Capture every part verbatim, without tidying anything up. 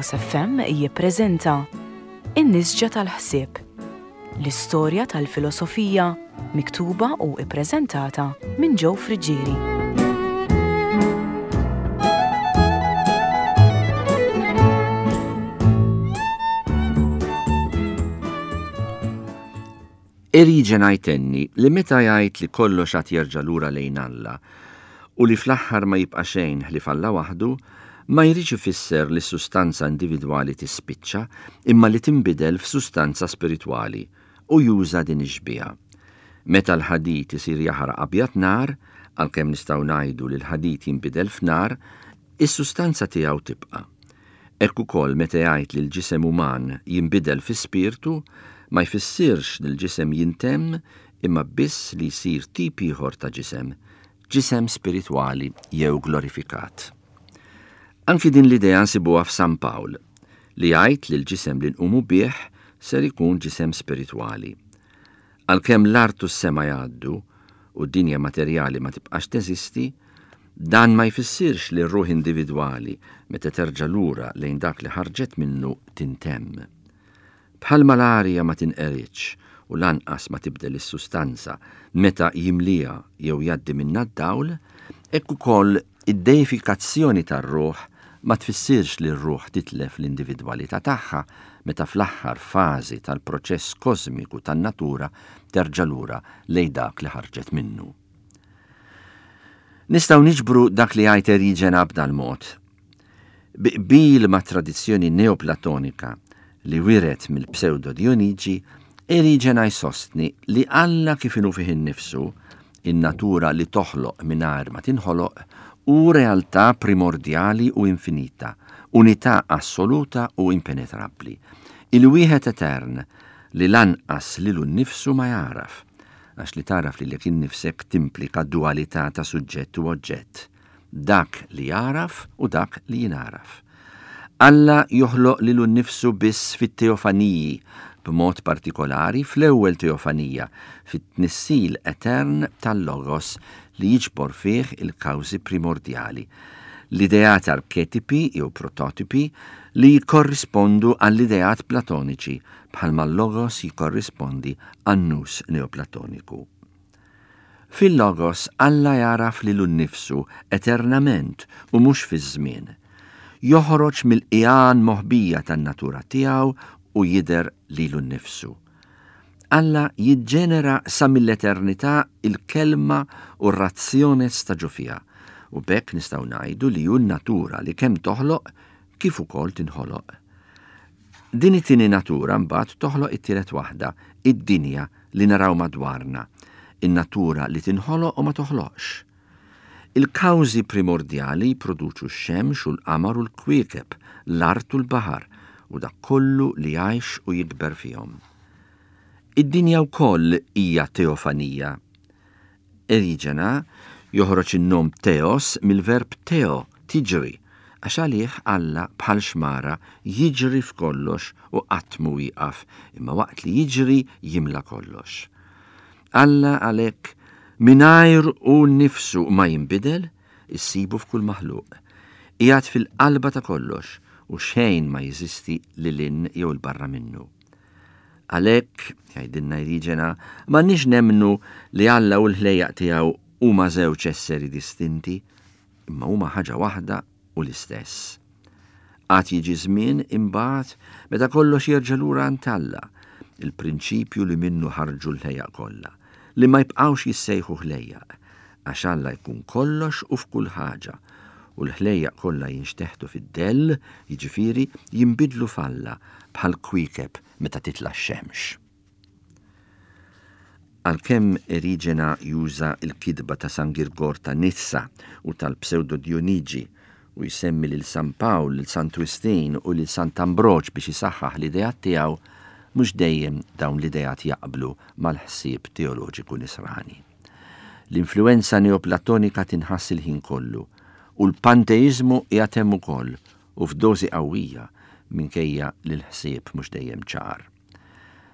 Logos F M jippreżenta In-Nisġa tal-Ħsieb, l-istorja tal-filosofija miktuba u ippreżentata minn Joe Friggieri. Eriġena jtenni li meta jgħid li kollox għad jerġa' lura lejn Alla u li fl-aħħar ma jibqa' xejn ħlief Alla waħdu, ma jridx ifisser li s-sustanza individwali tispiċċa imma li tinbidel f'sustanza spiritwali, u juża din ix-xbieha. Meta l-ħadid isir jaħraq abjad nar, għalkemm nistgħu ngħidu li l-ħadid jinbidel f'nar, is-sustanza tiegħu tibqa'. Hekk ukoll meta jgħid li l-ġisem uman jinbidel fi spirtu, ma jfissirx li l-ġisem jintemm imma biss li jsir tip ieħor ta' ġisem, ġisem spiritwali jew glorifikat. Anki din l-idea nsibuha f'San Pawl, li jgħid li l-ġisem li nqumu bih ser ikun ġisem spiritwali. Għalkemm l-art u s-sema jgħaddu u d-dinja materjali ma tibqax teżisti, dan ma jfissirx li r-ruħ individwali meta terġa' lura lejn dak li ħarġet minnu tintemm. Bħalma l-arja ma tinqeritx u lanqas ma tibdel is-sustanza meta jimlija jew jgħaddi minnha d-dawl, hekk ukoll id-deifikazzjoni tar-ruħ ma tfissirx li r-ruħ titlef l-individwalità tagħha meta fl-aħħar fażi tal-proċess kosmiku tan-natura terġa' lura lejn dak li ħarġet minnu. Nistgħu niġbru dak li jgħid Eriġena b'dal-mod. Bi qbil ma' tradizzjoni neoplatonika li wiret mill-Pseudo Dionigi, Eriġena jsostni li Alla kif inhu fih innifsu, in-natura li toħloq mingħajr ma tinħoloq, hu realtà primordjali u infinita, unità assoluta u impenetrabbli. Il-wieħed etern li lanqas lilu nnifsu ma jagħraf, għax li tagħraf lilek innifsek timplika dualità ta' suġġett u oġġett, dak li jagħraf u dak li jingħaraf. Alla joħloq lilu nnifsu biss fit-teofaniji, b'mod partikolari fl-ewwel teofanija, fit-tnissil etern tal-Logos li jiġbor fih il-kawżi primordjali, l-ideat arketipi jew prototipi li jikkorrispondu għall-ideat platoniċi, bħalma l-Logos jikkorrispondi għan-nous neoplatoniku. Fil-Logos Alla jagħraf lilu nnifsu eternament u mhux fiż-żmien. Joħroġ mill-qigħan moħbija tan-natura tiegħu u jidher lilu nnifsu. Alla jiġġenera sa mill-eternità il-kelma u r-razzjones ta' ġo fiha, u b'hekk nistgħu ngħidu li hu n-natura li kemm toħloq kif ukoll tinħoloq. Din it-tieni natura mbagħad toħloq it-tielet waħda, id-dinja li naraw madwarna, in-natura li tinħoloq u ma toħloqx. Il-kawżi primordjali jproduċu x-xemx u l-qamar u l-kwiekeb, l-art u l-baħar, u dak kollu li jgħix u jikber fihom. Id-dinja wkoll hija teofanija. Eriġena joħroġ in-nom teos mill-verb teo, tiġri, għax għalih Alla bħal xmara jiġri f'kollox u qatt mhu wieqaf, imma waqt li jiġri jimla kollox. Alla għalhekk mingħajr hu nnifsu ma jinbidel, issibu f'kull maħluq. Qiegħed fil-qalba ta' kollox u xejn ma jeżisti lil hinn jew 'il barra minnu. Għalhekk, jgħidilna Eriġena, m'għandniex nemmnu li Alla u l-ħlejjaq tiegħu huma żewġ esseri distinti, imma huma ħaġa waħda u l-istess. Għad jiġi żmien imbagħad meta kollox jerġa' lura għand Alla, il-prinċipju li minnu ħarġu l-ħlejjaq kollha, li ma jibqgħux jissejħu ħlejjaq, għax Alla jkun kollox u f'kull ħaġa, u l-ħlejjaq kollha jinxteħtu fid-dell, jiġifieri jinbidlu f'Alla bħal kwiekeb meta titla' x-xemx. Għalkemm Eriġena juża l-kitba ta' San Girgor ta' Nizza u tal-Pseudo Dionigi u jsemmi lil San Pawl, lil San Twistin u lil Sant Ambroġ biex isaħħaħ l-ideat tiegħu, mhux dejjem dawn l-ideat jaqblu mal-ħsieb teoloġiku nisrani. L-influenza neoplatonika tinħass il-ħin kollu u l-panteizmu qiegħed hemm ukoll u f'dożi qawwija minkejja li l-ħsieb mhux dejjem ċar.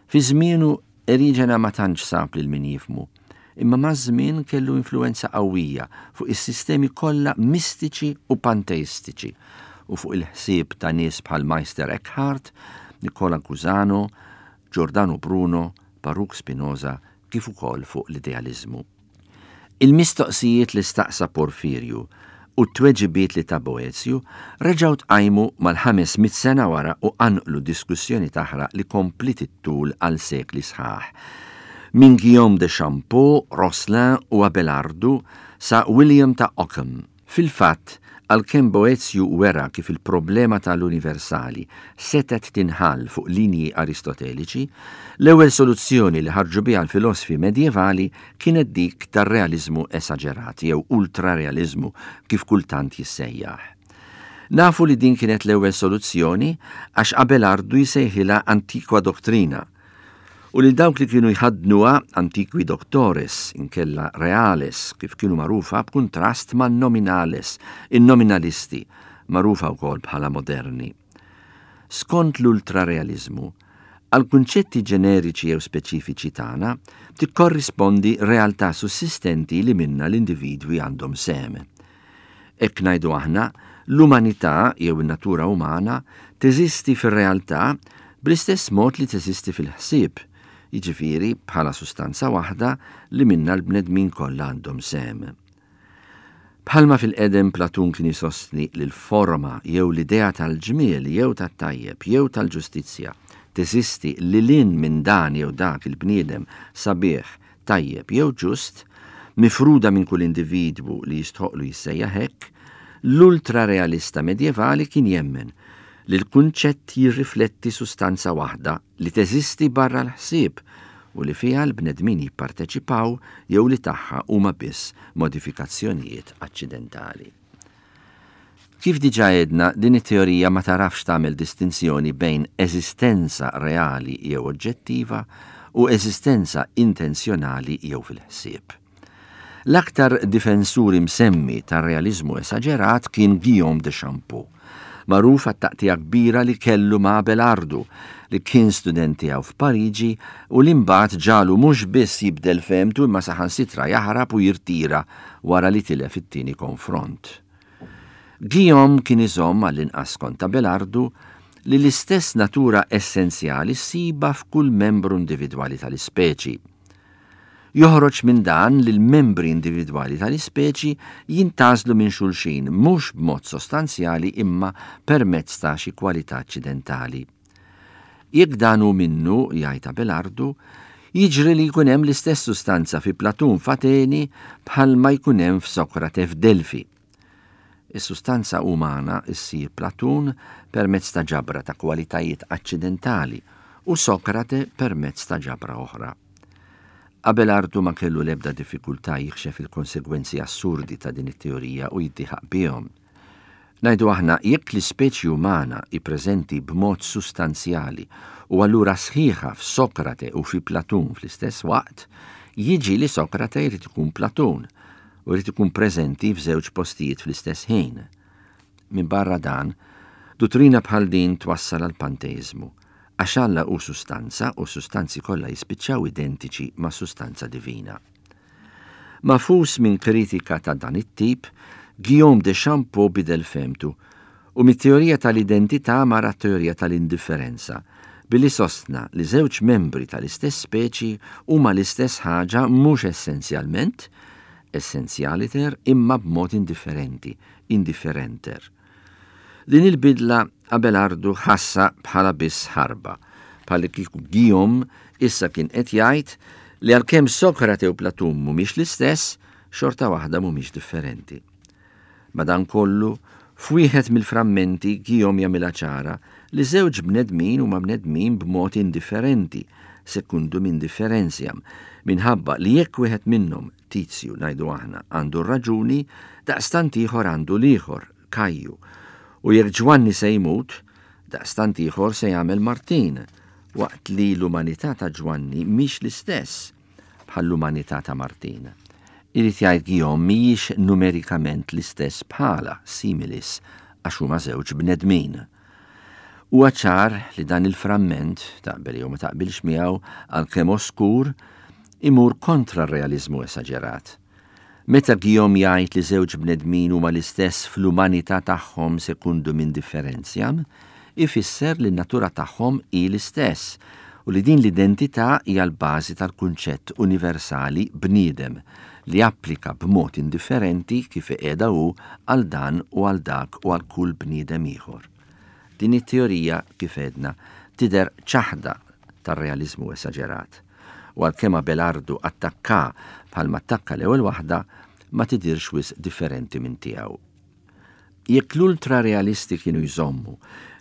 Fi żmienu Eriġena ma tantx sab lil min jifhmu, imma maż-żmien kellu influenza qawwija fuq is-sistemi kollha mistiċi u panteistiċi u fuq il-ħsieb ta' nies bħal Meister Eckhart, Nicola Cusano, Giordano Bruno, Baruch Spinoza, kif ukoll fuq l-idealiżmu. Il-mistoqsijiet li staqsa Porfirju u t-tweġibiet li ta Boezju reġgħu tqajmu mal-ħames mitt sena wara u qanqlu diskussjoni taħraq li kompliet ittul għal sekli sħaħ. Minn Guillaume de Champeaux, Roscelin u Abelardu sa William ta' Ockham. Fil-fatt, għalkemm Boezju wera kif il-problema tal-universali setgħet tinħall fuq linji aristoteliċi, l-ewwel soluzzjoni li ħarġu biha l-filosfi medjevali kienet dik tar-realiżmu esaġerat jew ultrarealiżmu kif kultant jissejjaħ. Nafu li din kienet l-ewwel soluzzjoni għax Abelardu jsejħilha antiqua doctrina u li dawk li kienu jħaddnuha antiqui doctores inkella reales kif kienu magħrufa b'kuntrast ma' nominales, in-nominalisti, magħrufa wkoll bħala moderni. Skont l-ultrarealiżmu, għal kunċetti ġeneriċi jew speċifiċi tagħna tikkorrispondi realtà sussistenti li minna l-individwi għandhom sehem. Hekk ngħidu aħna, l-umanità jew in-natura umana teżisti fir-realtà bl-istess mod li teżisti fil-ħsieb, jiġifieri bħala sustanza waħda li minna l-bnedmin kollha għandhom sehem. Bħalma fil-qedem Platun kien isostni li l-forma jew l-idea tal-ġmiel jew tat-tajjeb jew tal-ġustizzja teżisti lil hinn minn dan jew dak il-bniedem sabiħ, tajjeb jew ġust, mifruda minn kull individwu li jistħoqlu jissejjaħ hekk, l-ultrarealista medjevali kien jemmen li l-kunċett jirrifletti sustanza waħda li teżisti barra l-ħsieb u li fiha l-bnedmin jipparteċipaw jew li tagħha huma biss modifikazzjonijiet aċċidentali. Kif diġà għedna, din it-teorija ma tarafx tagħmel distinzjoni bejn eżistenza reali jew oġġettiva u eżistenza intenzjonali jew fil-ħsieb. L-aktar difensur imsemmi tar-realiżmu esaġerat kien Guillaume de Champeaux, magħruf għat-taqtija kbira li kellu ma' Abelardu, li kien student tiegħu f'Pariġi u li mbagħad ġalu mhux biss jibdel fehmtu imma saħansitra jaħrab u jirtira wara li tilef it-tieni konfront. Guillaume kien iżomm għall-inqas kont Abelardu li l-istess natura essenzjali ssiba f'kull membru individwali tal-ispeċi. Joħroġ minn dan li l-membri individwali tal-ispeċi jintgħażlu minn xulxin mhux b'mod sostanzjali imma permezz ta' xi kwalità aċċidentali. Jekk dan hu minnu, jgħid Abelardu, jiġri li jkun hemm l-istess sustanza fi Platun f'Ateni bħalma jkun hemm f'Sokrate f'Delfi. Is-sustanza umana ssir Platun permezz ta' ġabra ta' kwalitajiet aċċidentali u Sokrate permezz ta' ġabra oħra. Abelardu ma kellu l-ebda diffikultà jikxef il-konsegwenzi assurdi ta' din it-teorija u jiddieħaq bihom. Ngħidu aħna, jekk l-ispeċi umana hi preżenti b'mod sustanzjali u allura sħiħa f'Sokrate u fi Platun fl-istess waqt, jiġi li Sokrate jrid ikun Platun u jrid ikun preżenti f'żewġ postijiet fl-istess ħin. Min barra dan, dottrina bħal din twassal għal panteizmu, għax Alla hu sustanza u sustanzi kollha jispiċċaw identiċi ma' sustanza divina. Mafus minn kritika ta' dan it-tip, Guillaume de Champeaux bidel fehmtu u mit-teorija tal-identità mar teorija tal-indifferenza, billi sostna li żewġ membri tal-istess speċi huma l-istess ħaġa mhux essenzjalment, essentialiter, imma b'mod indifferenti, indifferenter. Din il-bidla Abelardu ħassa bħala biss ħarba, bħal kieku Guillaume issa kien qed jgħid li għalkemm Sokrate u Platun mhumiex l-istess, xorta waħda mhumiex differenti. Madankollu, f'wieħed mill-frammenti Guillaume jagħmilha ċara li żewġ bnedmin huma bnedmin b'mod indifferenti, secundum indifferentiam, minħabba li jekk wieħed minnhom, Tizju ngħidu aħna, għandu r-raġuni, daqstant ieħor għandu l-ieħor, Kajju. U jekk Ġwanni se jmut, daqstant ieħor se jagħmel Martin, waqt li l-umanità ta' Ġwanni mhix l-istess bħall-umanità ta' Martin. Irid jgħid Guillaume mhijiex numerikament l-istess bħala similis għax huma żewġ bnedmin. Huwa ċar li dan il-framment, taqbel jew ma taqbilx miegħu, għalkemm oskur, imur kontra r-realiżmu esaġerat. Meta Guillaume jgħid li żewġ bnedmin huma l-istess fl-umanità tagħhom secundum indifferentiam, ifisser li n-natura tagħhom hi l-istess u li din l-identità hija l-bażi tal-kunċett universali bniedem li applika b'mod indifferenti kif qiegħda hu għal dan u għal dak u għal kull bniedem ieħor. Din it-teorija, kif għedna, tidher ċaħda tar-realiżmu esaġerat. U għalkemm Abelardu attakka bħalma attakka l-ewwel waħda, ma tidirx wisq differenti minn tiegħu. Jekk l-ultrarealisti kienu jżommu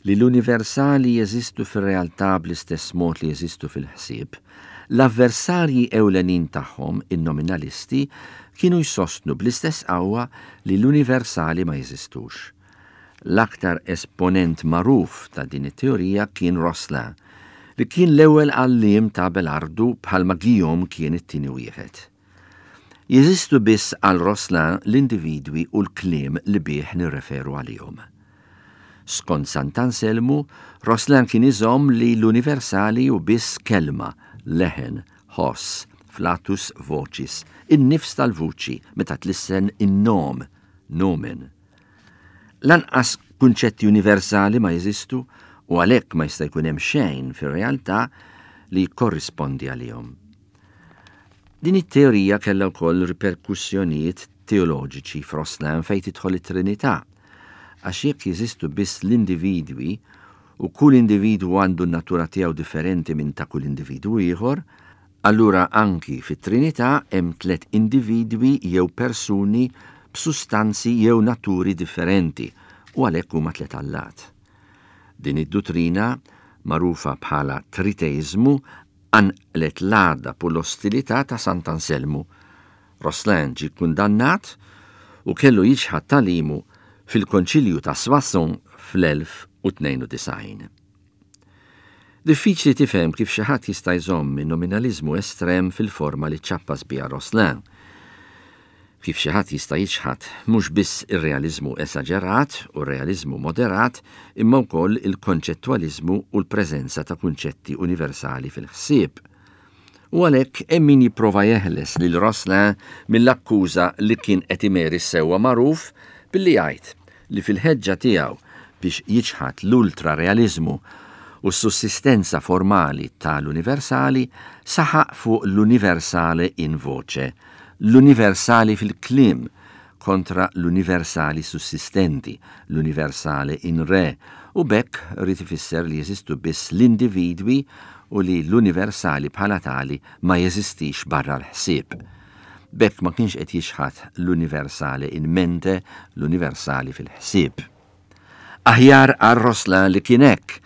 li l-universali jeżistu fir-realtà bl-istess mod li jeżistu fil-ħsieb, l-avversarji ewlenin tagħhom, in-nominalisti, kienu jsostnu bl-istess qawwa li l-universali ma jeżistux. L-aktar esponent magħruf ta' din it-teorija kien Roscelin, li kien l-ewwel għalliem ta' Abelardu bħalma Guillaume kien it-tieni wieħed. Jeżistu biss għal Roscelin l-individwi u l-kliem li bih nirreferu għalihom. Skont Sant'Anselmu, Roscelin kien iżomm li l-universali hu biss kelma, leħen, ħoss, flatus vocis, in-nifs tal-vuċi meta tlissen in-nom, nomen. Lanqas kunċetti universali ma jeżistu u għalhekk ma jista' jkun hemm xejn fir-realtà li jikkorrispondi għalihom. Din it-teorija kellha wkoll riperkussjonijiet teoloġiċi f'Roscelin fejn tidħol it-Trinità, għax jekk jeżistu biss l-individwi u kull individwu għandu n-natura tiegħu differenti minn ta' kull individwu ieħor, allura anki fit-Trinità hemm tliet individwi jew persuni b'sustanzi jew naturi differenti u għalhekk huma tliet allat. Din id-duttrina, magħrufa bħala triteiżmu, qanqlet l-għadab u l-ostilità ta' Sant'Anselmu. Roscelin ġie kundannat u kellu jiċħad tagħlimu fil-Konċilju ta' Soissons fl-elf u tnejn u disgħin. Diffiċli tifhem kif xi ħadd jista' jżomm in-nominaliżmu estrem fil-forma li ċappas biha Roscelin. Kif xi ħadd jista' jiċħad mhux biss ir-realiżmu esaġerat u r-realiżmu moderat, imma wkoll il-konċettwaliżmu u l-preżenza ta' kunċetti universali fil-ħsieb. U għalhekk hemm min jipprova jeħles lil Roscelin mill-akkuża li kien qed imeri sewwa magħruf billi jgħid li fil-ħeġġa tiegħu biex jiċħad l-ultrarealiżmu u s-sussistenza formali tal-universali saħaq fuq l-universale in voce, l-universali fil-kliem kontra l-universali sussistenti, l-universale in re, u b'hekk ried ifisser li jeżistu biss l-individwi u li l-universali bħala tali ma jeżistix barra l-ħsieb. B'hekk ma kienx qed jixħat l-universale in mente, l-universali fil-ħsieb. Aħjar għal Roscelin li kien hekk,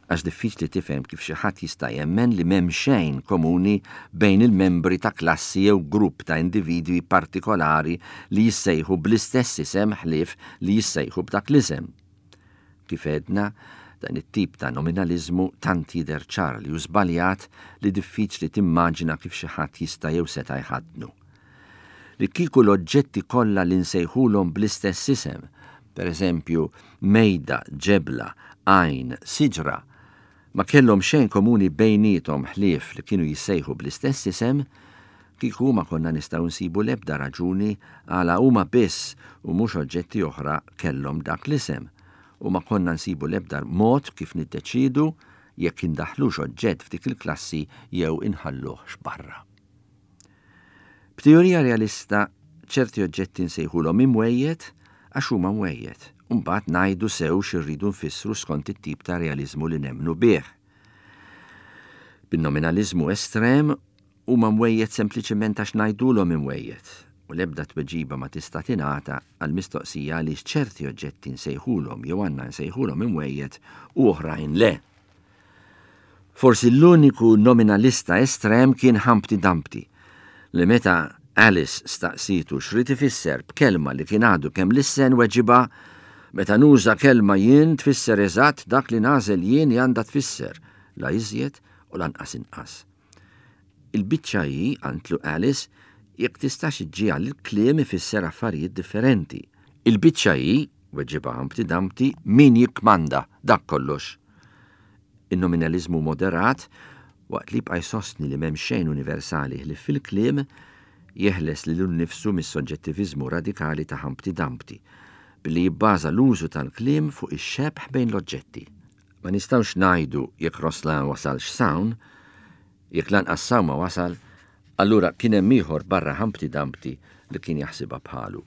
għax diffiċli tifhem kif xi ħadd jista' jemmen li m'hemm xejn komuni bejn il-membri ta' klassi jew grupp ta' individwi partikolari li jissejħu bl-istess isem ħlief li jissejħu b'dak l-isem. Kif għedna, dan it-tip ta' nominaliżmu tant jidher ċar li hu żbaljat li diffiċli timmaġina kif xi ħadd jista' jew seta' jħaddnu. Li kieku l-oġġetti kollha li nsejħulhom bl-istess isem, per eżempju mejda, ġebla, għajn, siġra, ma kellhom xejn komuni bejniethom ħlief li kienu jissejħu bl-istess isem, kieku ma konna nistgħu nsibu l-ebda raġuni għala huma biss u mhux oġġetti oħra kellhom dak l-isem, u ma konna nsibu l-ebda mod kif niddeċidu jekk indaħħlux oġġett f'dik il-klassi jew inħalluhx barra. B'teorija realista ċerti oġġetti nsejħulhom imwejjed għax huma mwejjed, u mbagħad ngħidu sew x'irridu nfissru skont it-tip ta' realiżmu li nemmnu bih. Bin-nominaliżmu estrem huma mwejjed sempliċement għax ngħidulhom imwejjed, u l-ebda tweġiba ma tista' tingħata għal mistoqsija għaliex ċerti oġġetti nsejħulhom jew għandna nsejħulhom imwejjed u oħrajn le. Forsi l-uniku nominalista estrem kien Humpty Dumpty, li meta Alice staqsitu x'rid ifisser b'kelma li kien għadu kemm lissen weġiba meta nuża kelma jien tfisser eżatt dak li nagħżel jien li għandha tfisser, la iżjed u lanqas inqas. Il-biċċa hi, qantlu Alice, jekk tistax iġġiegħel il-kliem ifisser affarijiet differenti. Il-biċċa hi, weġiba Humpty Dumpty, min jikkmanda dak kollox. In-nominaliżmu moderat, waqt li jibqa' jsostni li m'hemm xejn universali ħlief fil-kliem, Jeħles lilu nnifsu mis-soġġettiviżmu radikali ta' Humpty Dumpty billi jibbaża l-użu tal-kliem fuq ix-xebh bejn l-oġġetti. Ma nistgħux ngħidu jekk Roslan wasalx s'hawn, jekk lanqas s'hawn ma wasal, allura kien hemm ieħor barra Humpty Dumpty li kien jaħsibha bħalu.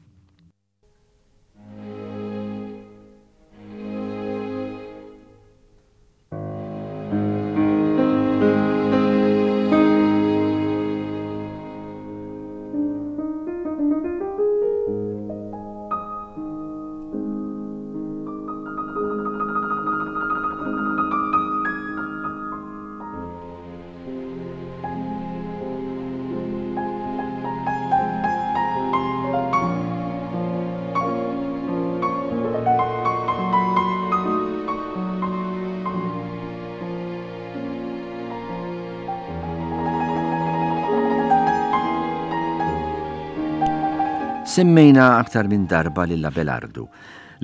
Semmejna aktar minn darba lil Abelardu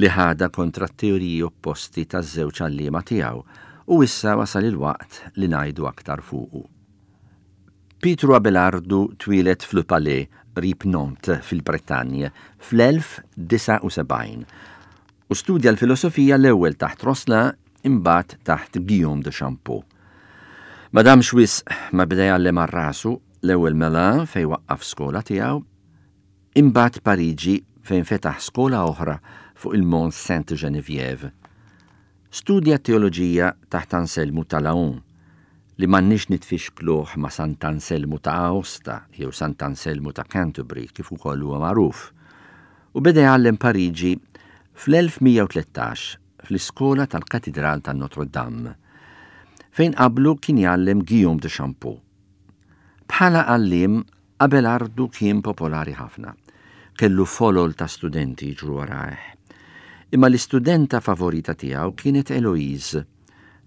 li ħada kontra t-teoriji opposti taż-żewġ għalliema tiegħu u issa wasal il-waqt li ngħidu aktar fuqu. Pietru Abelardu twieled f'Le Palais, qrib Nantes fil-Bretanje fl-elf disgħa u sebgħin u studja l-filosofija l-ewwel taħt Roscelin imbagħad taħt Guillaume de Champeaux. Ma damx wisq ma beda jgħallem għal rasu l-ewwel Melun fejn waqqaf skola tiegħu, imbagħad Pariġi fejn fetaħ skola oħra fuq il-Mont Sainte-Geneviève. Studja teoloġija taħt Anselmu ta' Laon, li m'għandniex nitfixkluh ma' Sant'Anselmu ta' Aosta jew Sant'Anselmu ta' Canterbury kif ukoll huwa magħruf, u beda jgħallem Pariġi fl-elf mija u tlettax fl-iskola tal-Katidral ta' Notre Dame, fejn qablu kien jgħallem Guillaume de Champeaux. Bħala għalliem, Abelardu kien popolari ħafna. Kellu folol ta' studenti jiġru warajh. Imma l-istudenta favorita tiegħu kienet Eloise,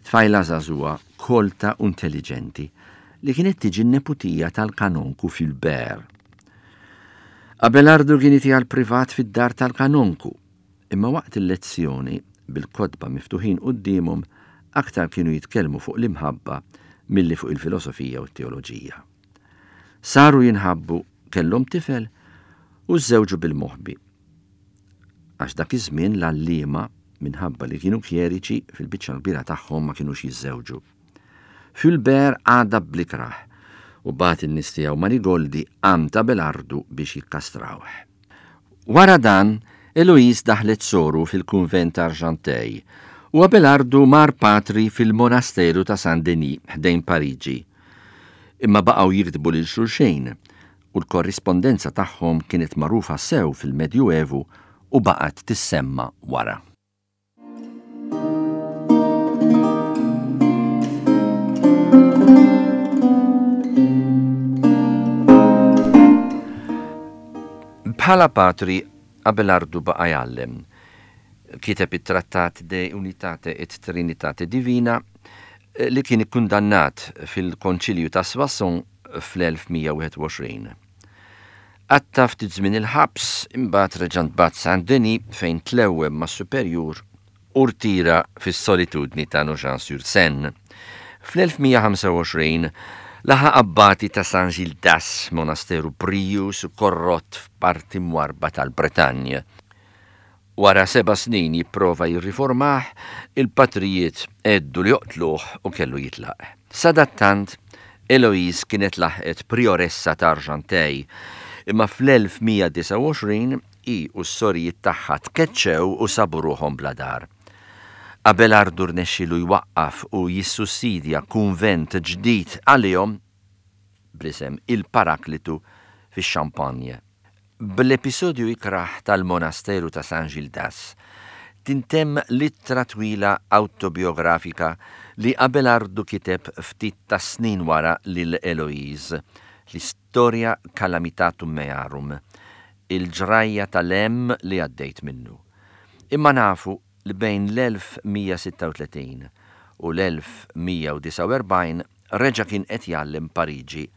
tfajla żagħżugħa, kolta u intelligenti, li kienet tiġi n-neputija tal-kanonku Fulbert. Abelardu kien itiha l-privat fid-dar tal-kanonku, imma waqt il-lezzjoni, bil-kotba miftuħin quddiemhom, aktar kienu jitkellmu fuq l-imħabba milli fuq il-filosofija u t-teoloġija. Saru jinħabbu, kellhom tifel u żżewġu bil-moħbi. Għax dak iż-żmien l-għalliema, minħabba li kienu kjeriċi, fil-biċċa l-kbira tagħhom ma kinux jiżżewġu. Fulbert għadha blikraħ u bagħat in-nies tiegħu Marigoldi għand Abelardu biex jikkastrawh. Wara dan, Eloise daħlet soru fil-kunvent Argenteuil u Abelardu mar patri fil-monasteru ta' Saint-Denis ħdejn Pariġi. Imma baqgħu jiktbu lil xulxejn u l-korrispondenza tagħhom kienet magħrufa sew fil-Medjuevu u baqgħet tissemma wara. Bħala patri, Abelardu baqa' jgħallem. Kiteb it-trattat De Unitate et Trinitate Divina li kien ikkundannat fil-Konċilju ta' Soissons fl-elf mija wieħed u għoxrin. Għatta ftit żmien il-ħabs, imbagħad reġa' ntbagħat Saint-Denis fejn tlewwem mas-superjur u rtira fis-solitudni ta' Nogent-sur-Seine. Fl-elf mija ħamsa u għoxrin laħaq abbati ta' Saint-Gildas, monasteru prijus u korrott f'parti mwarba tal-Bretanja. Wara seba' snin jipprova jirriformah, il-patrijiet għeddu li joqtluh u kellu jitlaq. Sadattant, Eloise kienet laħqet prioressa ta' Argenteuil, imma fl-elf mija disgħa u għoxrin hi u s-sorijiet tagħha tkeċċew u sabu ruħhom bla dar. Abelardu rnexxielu jwaqqaf u jissussidja kunvent ġdid għalihom bl-isem il-Paraklitu fix-Champagne. Bl-episodju ikraħ tal-monasteru ta' Saint-Gildas tintemm littra twila autobiografika li Abelardu kiteb ftit ta' snin wara lil Eloise, l-istorja Calamitatum Mearum, il-ġrajja tal-hemm li għaddejt minnu. Imma nafu li bejn l-elf mija sitta u tletin u l-elf mija u disgħa u erbgħin reġa' kien qed jgħallem Pariġi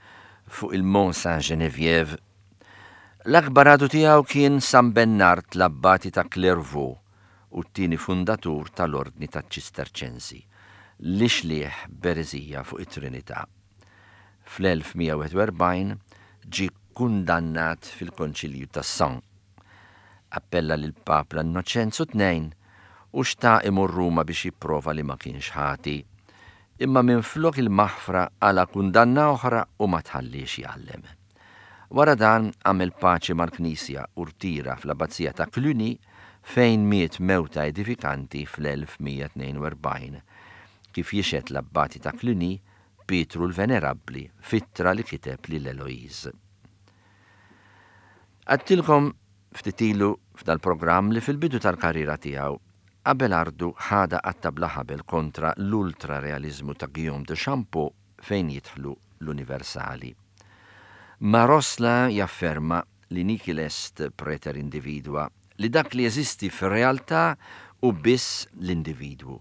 fuq il-Mont Saint-Geneviève. L-akbar għadu tiegħu kien San Bernard l-abbati ta' Clairvaux u t-tieni fundatur tal-Ordni taċ-Ċisterċensi, li xlieħ b'ereżija fuq it-Trinità. Fl-elf mija wieħed u erbgħin ġie kkundannat fil-Konċilju ta' Sens. Appella lill-Papa Innoċenzu tnejn u xtaq imur Ruma biex jipprova li ma kienx ħati. Imma minflok il-maħfra qala' kundanna oħra u ma tħalliex jgħallem. Wara dan għamel paċi mal-Knisja u rtira fl-Abbazija ta' Cluny fejn miet mewta edifikanti fl-elf mija tnejn u erbgħin, kif jixhed l-abbati ta' Cluny Pietru l-Venerabbli f'ittra li kiteb lil Eloise. Għedtilkom ftit ilu f'dal-programm li fil-bidu tal-karriera tiegħu Abelardu ħada qatta bla ħabel kontra l-ultrarealizmu ta' Guillaume de Champeaux fejn jidħlu l-universali. Ma Rosselin jafferma li nihil est preter individua, li dak li jeżisti fir-realtà hu biss l-individwu,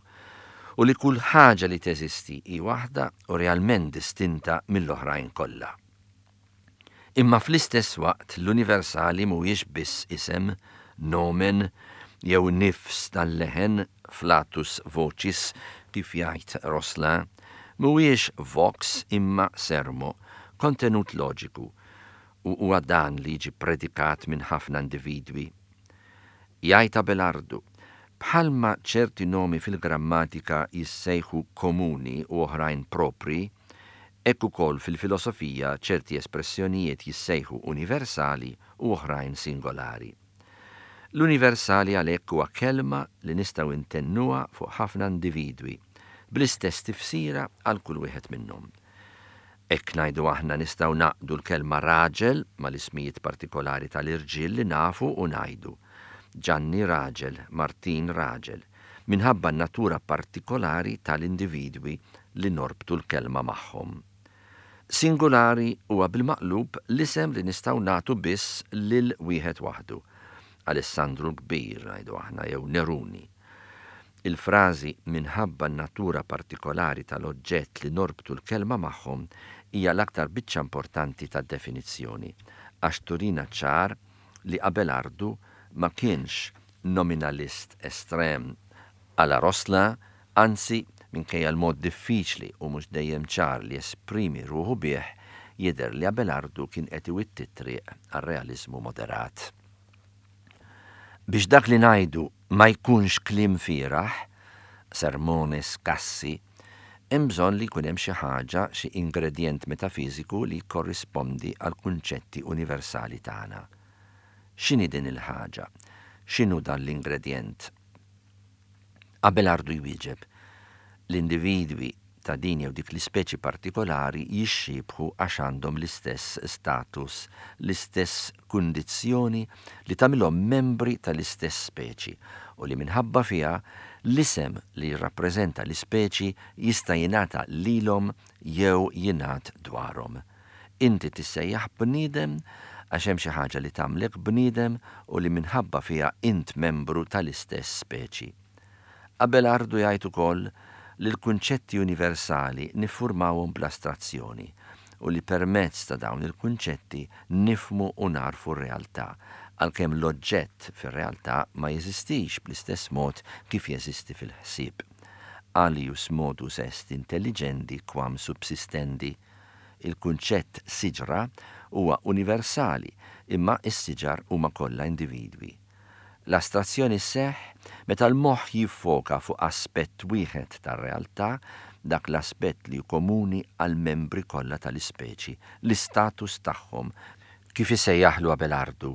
u li kull ħaġa li teżisti hi waħda u realment distinta mill-oħrajn kollha. Imma fl-istess waqt l-universali mhuwiex biss isem, nomen, jew nifs tal-leħen, flatus vocis, kif jgħid Rosselin, mhuwiex vox imma sermo, kontenut loġiku, u huwa dan li jiġi predikat minn ħafna individwi. Jgħid Abelardu, bħalma ċerti nomi fil-grammatika jissejħu komuni u oħrajn propri, hekk ukoll fil-filosofija ċerti espressjonijiet jissejħu universali u oħrajn singolari. L-universali għalhekk huwa kelma li nistgħu intennuha fuq ħafna individwi, bl-istess tifsira għal kull wieħed minnhom. Hekk ngħidu aħna nistgħu naqdu l-kelma raġel mal-ismijiet partikolari tal-irġiel li nafu u ngħidu. Ġanni raġel, Martin raġel, minħabba n-natura partikolari tal-individwi li norbtu l-kelma magħhom. Singolari huwa bil-maqlub l-isem li nistgħu nagħtu biss lil wieħed waħdu. Alessandru l-Kbir, ngħidu aħna, jew Neruni. Il-frażi minħabba n-natura partikolari tal-oġġett li norbtu l-kelma magħhom hija l-aktar biċċa importanti tad-definizzjoni, għax turina ċar li Abelardu ma kienx nominalist estrem għala Rosselin, anzi minkejja l-mod diffiċli u mhux dejjem ċar li esprimi ruħu bih, jidher li Abelardu kien qed iwitti t-triq għar-realizmu moderat. Biex dak li ngħidu ma jkunx kliem fieragħ, sermones cassi, hemm bżonn li jkun hemm xi ħaġa, xi ingredient metafiżiku li jkorrispondi għal kunċetti universali tagħna. X'inhi din il-ħaġa? X'inhu dan l-ingredient? Abelardu jwieġeb, l-individwi ta' din jew dik l-ispeċi partikolari jixxiebħu għax għandhom l-istess status, l-istess kundizzjoni li tagħmilhom membri tal-istess speċi u li minħabba fiha l-isem li jirrappreżenta l-ispeċi jista' jingħata lilhom jew jingħad dwarhom. Inti tissejjaħ bniedem għax hemm xi ħaġa li tagħmlek bniedem u li minħabba fiha int membru tal-istess speċi. Abelardu jgħid ukoll li l-kunċetti universali niffurmawhom bl-astrazzjoni u li permezz ta' dawn il-kunċetti nifmu u narfu r-realtà, għalkemm l-oġġett fir-realtà ma jeżistix bl-istess mod kif jeżisti fil-ħsieb. Alius modus est intelligendi quam subsistendi. Il-kunċett siġra huwa universali, imma s-siġar huma kollha individwi. L-astrazzjoni sseħħ meta l-moħħ jiffoka fuq aspett wieħed tar-realtà, dak l-aspett li hu komuni għal membri kollha tal-ispeċi, l-istatus tagħhom, kif isejjaħlu Abelardu.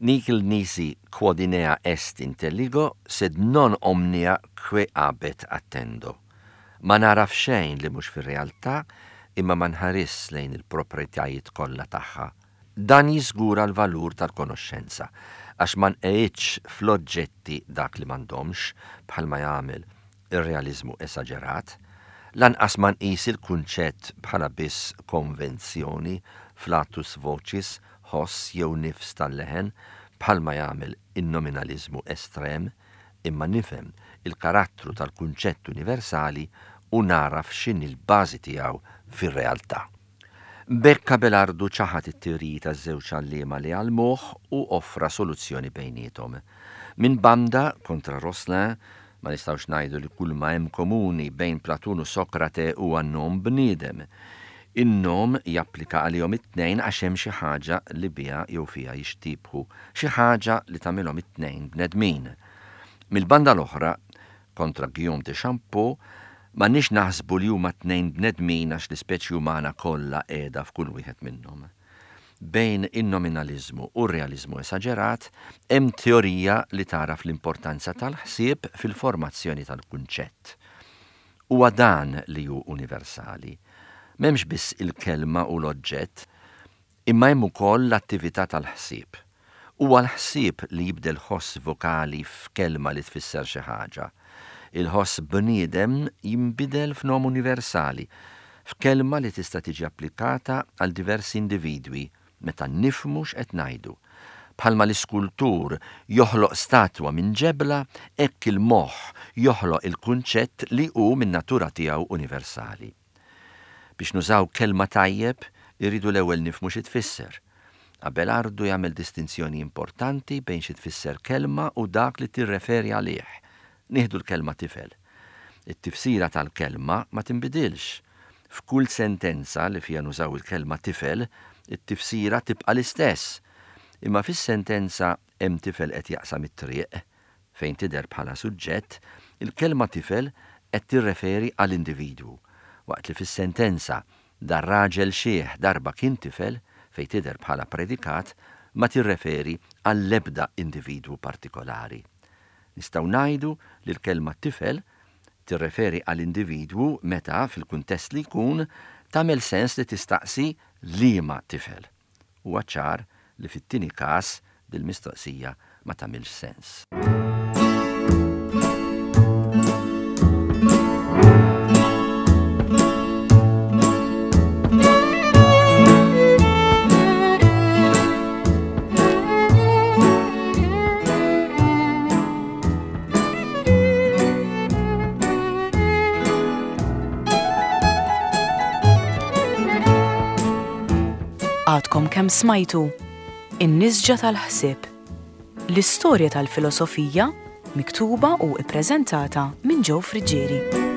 Nihil nisi quod in ea est intelligo, sed non omnia quae habet attendo. Ma naraf xejn li mhux fir-realtà, imma ma nħares lejn il-proprjetajiet kollha tagħha. Dan jiżgura l-valur tal-konoxxenza, għax ma nqegħidx fl-oġġetti dak li m'għandhomx, bħalma jagħmel ir-realizmu esaġerat, lanqas ma nqis il-kunċett bħala biss konvenzjoni, flatus vocis, ħoss jew nifs tal-leħen, bħalma jagħmel in-nominalizmu estrem, imma nifhem il-karattru tal-kunċett universali u naraf x'inhi l-bażi tiegħu fir-realtà. B'hekk Abelardu ċaħad it-teoriji taż-żewġ għalliema li għallmuh u offra soluzzjoni bejniethom. Min banda kontra Rosselin, ma nistgħux ngħidu li kull ma hemm komuni bejn Platun u Sokrate huwa nom bniedem. In-nom japplika għalihom it-tnejn għax hemm xi ħaġa li biha jew fiha jixtiebħu, xi ħaġa li tagħmilhom it-tnejn bnedmin. Mill-banda l-oħra, kontra Guillaume de Champeau, m'għandniex naħsbu li huma tnejn bnedmin għax l-ispeċi umana kollha qiegħda f'kull wieħed minnhom. Bejn in-nominaliżmu u r-realiżmu esaġerat hemm teorija li tagħraf l-importanza tal-ħsieb fil-formazzjoni tal-kunċett. Huwa dan li hu universali. M'hemmx biss il-kelma u l-oġġett, imma hemm ukoll l-attività tal-ħsieb. Huwa l-ħsieb li jibdel ħoss vokali f'kelma li tfisser xi ħaġa. Il-ħoss bniedem jinbidel f'nom universali, f'kelma li tista' tiġi applikata għal diversi individwi meta nifhmu x'qed ngħidu. Bħalma l-iskultur joħloq statwa minn ġebla, hekk il-moħħ joħloq il-kunċett li hu min-natura tiegħu universali. Biex nużaw kelma tajjeb, irridu l-ewwel nifhmu xi tfisser. Abelardu jagħmel distinzjoni importanti bejn xi tfisser kelma u dak li tirreferi għalih. Nieħdu l-kelma tifel. It-tifsira tal-kelma ma tinbidilx. F'kull sentenza li fiha nużaw il-kelma tifel, it-tifsira tibqa' l-istess. Imma fis-sentenza hemm tifel qed jaqsam it-triq, fejn tidher bħala suġġett, il-kelma tifel qed tirreferi għal individwu, waqt li fis-sentenza dar raġel xiħ darba kien tifel, fejn tidher bħala predikat, ma tirreferi għall-ebda individwu partikolari. Nistgħu ngħidu li l-kelma tifel tirreferi għal individwu meta fil-kuntest li jkun tagħmel sens li tistaqsi liema tifel. Huwa ċar li fit-tieni każ dil-mistoqsija ma tagħmilx sens. Għadkom kemm smajtu In-Nisġa tal-Ħsieb, l-istorja tal-filosofija miktuba u ippreżentata minn Joe Friggieri.